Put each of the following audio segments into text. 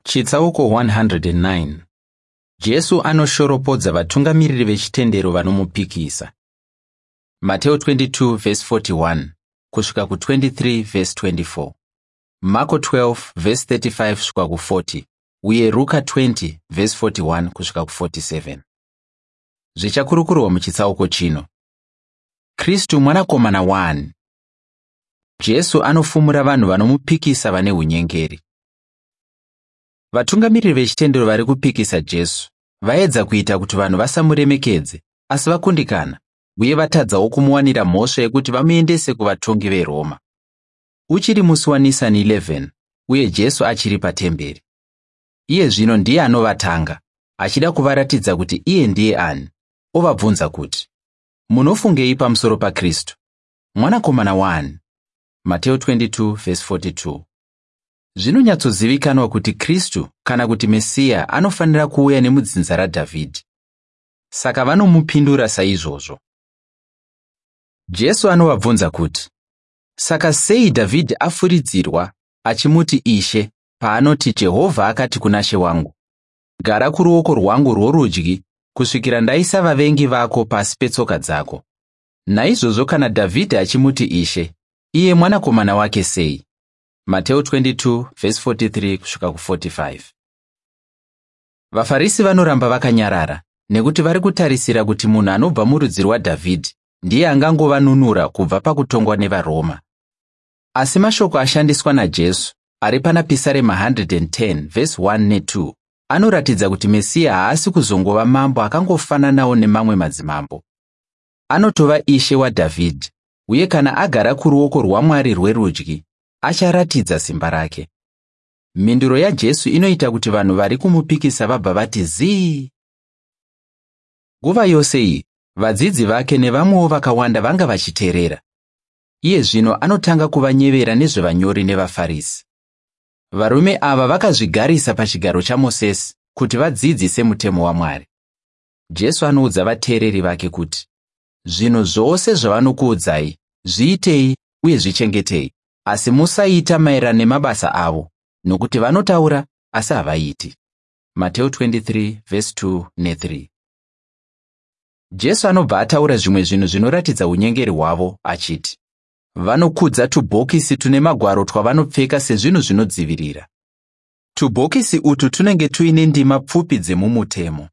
Chitsauko 109. Jesu anoshoropodza vatungamiriri vechitendero vanomupikisa. Mateo 22 vhesi 41 kusvika ku23 vhesi 24, Marko 12 vhesi 35 kusvika ku40 uye Ruka 20 vhesi 41 kusvika ku47. Zvichakurukurwa muchitsauko chino. Kristu mwanakomana waani? Jesu anofumura vanhu vanomupikisa vane unyengeri. Vatungamiriri vechitendero vari kupikisa Jesu vaedza kuita kuti vanhu vasamuremekedze, asi vakundikana uye vatadzawo kumuwanira mhosva yekuti vamuendese kuvatongi veRoma. Uchiri musi waNisani 11 uye Jesu achiri patemberi. Iye zvino ndiye anovatanga, achida kuvaratidza kuti iye ndiye ani, ovabvunza kuti, "Munofungei pamusoro paKristu? Mwanakomana waani?" Mateo 22:42. Zvinonyatsozivikanwa kuti Kristu kana kuti Mesiya anofanira kuuya nemudzinza raDhavhidhi. Saka vanomupindura saizvozvo. Jesu anovabvunza kuti, "Saka sei Dhavhidhi afuridzirwa achimuti Ishe paanoti Jehovha akati kuna She wangu, gara kuruoko rwangu rworudyi kusvikira ndaisa vavengi vako pasi petsoka dzako. Naizvozvo kana Dhavhidhi achimuti Ishe, iye mwanakomana wake sei?" Mateo 22:43 kusvika ku45. VaFarisi vanoramba vakanyarara nekuti vari kutarisira kuti munhu anobva murudzi rwaDhavhidhi ndiye angangovanunura kubva pakutongwa nevaRoma. Asi mashoko ashandiswa naJesu ari pana Pisarema 110 vhesi 1 ne2 anoratidza kuti Mesiya haasi kuzongova mambo akangofananawo nemamwe madzimambo. Anotova Ishe waDhavhidhi uye kana agara kuruoko rwaMwari rwerudyi acharatidza simba rake. Mhinduro yaJesu inoita kuti vanhu vari kumupikisa vabva vati zii. Nguva yose iyi, vadzidzi vake nevamwewo vakawanda vanga vachiteerera. Iye zvino anotanga kuvanyevera nezvevanyori nevaFarisi. Varume ava vakazvigarisa pachigaro chaMosesi kuti vadzidzise mutemo waMwari. Jesu anoudza vateereri vake kuti, "Zvinhu zvose zvavanokuudzai, zviitei uye zvichengetei, asi musaita maererano nemabasa avo, nokuti vanotaura asi havaiti." Mateo 23:2 ne3. Jesu anobva ataura zvimwe zvinhu zvinoratidza unyengeri hwavo achiti, vanokudza tubhokisi tune magwaro twavanopfeka sezvinhu zvinodzivirira. Tubhokisi utu tunenge tuine ndima pfupi dzemumutemo.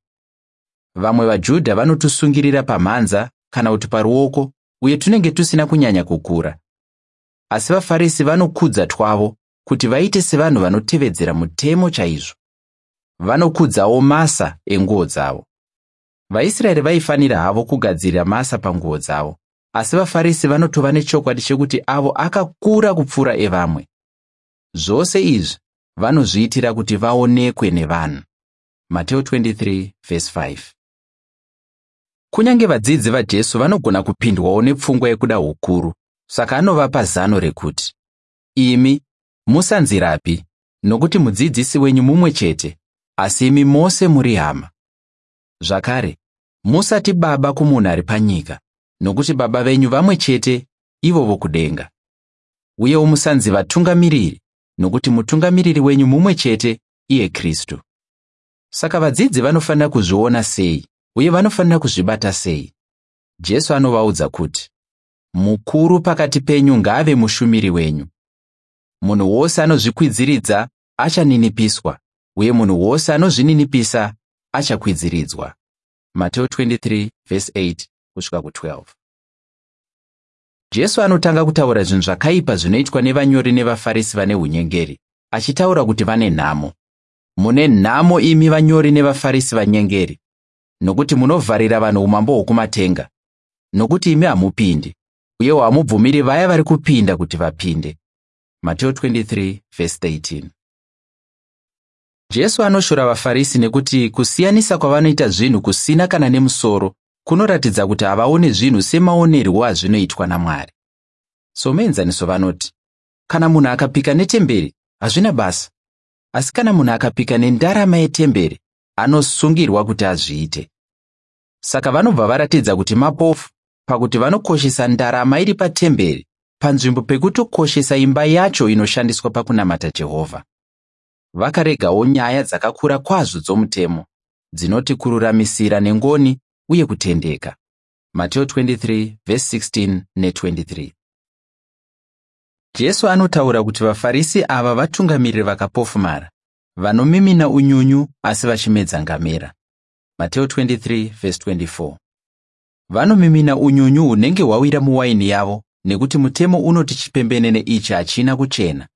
Vamwe vaJudha vanotusungirira pamhanza kana kuti paruoko uye tunenge tusina kunyanya kukura. Asi vaFarisi vanokudza twavo kuti vaite sevanhu vanotevedzera mutemo chaizvo. Vanokudzawo masa enguo dzavo. VaIsraeri vaifanira havo kugadzirira masa panguo dzavo, asi vaFarisi vanotova nechokwadi chekuti avo akakura kupfuura evamwe. Zvose izvi vanozviitira kuti vaonekwe nevanhu. Mateo 23:5. Kunyange vadzidzi vaJesu vanogona kupindwawo nepfungwa yekuda hukuru, saka anovapa zano rekuti, "Imi musanzirapi, nokuti mudzidzisi wenyu mumwe chete, asi imi mose muri hama. Zvakare, musati baba kumunhu ari panyika, nokuti baba venyu vamwe chete, ivo vokudenga. Uyewo musanzi vatungamiriri, nokuti mutungamiriri wenyu mumwe chete, iye Kristu." Saka vadzidzi vanofanira kuzviona sei uye vanofanira kuzvibata sei? Jesu anovaudza kuti, "Mukuru pakati penyu ngaave mushumiri wenyu. Munhu wose anozvikwidziridza achaninipiswa, uye munhu wose anozvininipisa achakwidziridzwa." Mateo 23:8 kusvika ku12. Jesu anotanga kutaura zvinhu zvakaipa zvinoitwa nevanyori nevaFarisi vane unyengeri, achitaura kuti vane nhamo. "Mune nhamo imi vanyori nevaFarisi vanyengeri, nokuti munovharira vanhu umambo hwokumatenga, nokuti imi hamupindi, uyewo hamubvumiri vaya vari kupinda kuti vapinde." Mateo 23:13. Jesu anoshora vaFarisi nekuti kusiyanisa kwavanoita zvinhu kusina kana nemusoro kunoratidza kuti havaone zvinhu semaonerwo azvinoitwa naMwari. Somuenzaniso vanoti, kana munhu akapika netemberi, hazvina basa. Asi kana munhu akapika nendarama yetemberi, anosungirwa kuti azviite. Saka vanobva varatidza kuti mapofu pakuti vanokoshesa ndarama iri patemberi panzvimbo pekutokoshesa imba yacho inoshandiswa pakunamata Jehovha. Vakaregawo nyaya dzakakura kwazvo dzomutemo, dzinoti kururamisira nengoni uye kutendeka. Mateo 23 vhesi 16 ne23. Jesu anotaura kuti vaFarisi ava vatungamiriri vakapofumara, vanomimina unyunyu asi vachimedza ngamera. Mateo 23 vhesi 24. Vanomimina unyunyu hunenge hwawira muwaini yavo nekuti mutemo unoti chipembenene ichi hachina kuchena.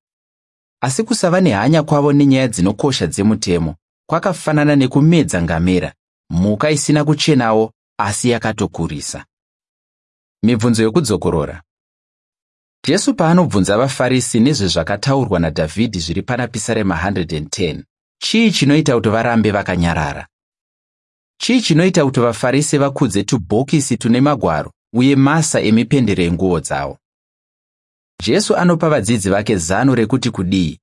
Asi kusava nehanya kwavo nenyaya dzinokosha dzemutemo kwakafanana nekumedza ngamera, mhuka isina kuchenawo asi yakatokurisa. Mibvunzo yokudzokorora. Jesu paanobvunza vaFarisi nezvezvakataurwa naDhavhidhi zviri pana Pisarema 110, chii chinoita kuti varambe vakanyarara? Chii chinoita kuti vaFarisi vakudze tubhokisi tune magwaro uye masa emipendero yenguo dzavo? Jesu anopa vadzidzi vake zano rekuti kudii